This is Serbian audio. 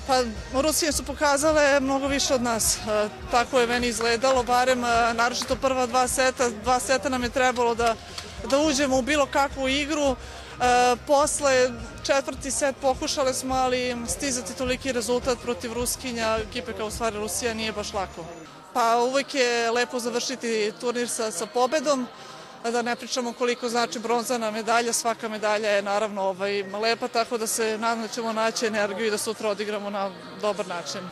Pa, Rusije su pokazale mnogo više od nas. Tako je meni izgledalo, barem naročito prva dva seta. Dva seta nam je trebalo da uđemo u bilo kakvu igru. Posle četvrti set pokušale smo, ali stizati toliki rezultat protiv Ruskinja, ekipe kao u stvari Rusija, nije baš lako. Pa uvek je lepo završiti turnir sa pobedom, da ne pričamo koliko znači bronzana medalja, svaka medalja je naravno lepa, tako da se nadam da ćemo naći energiju i da sutra odigramo na dobar način.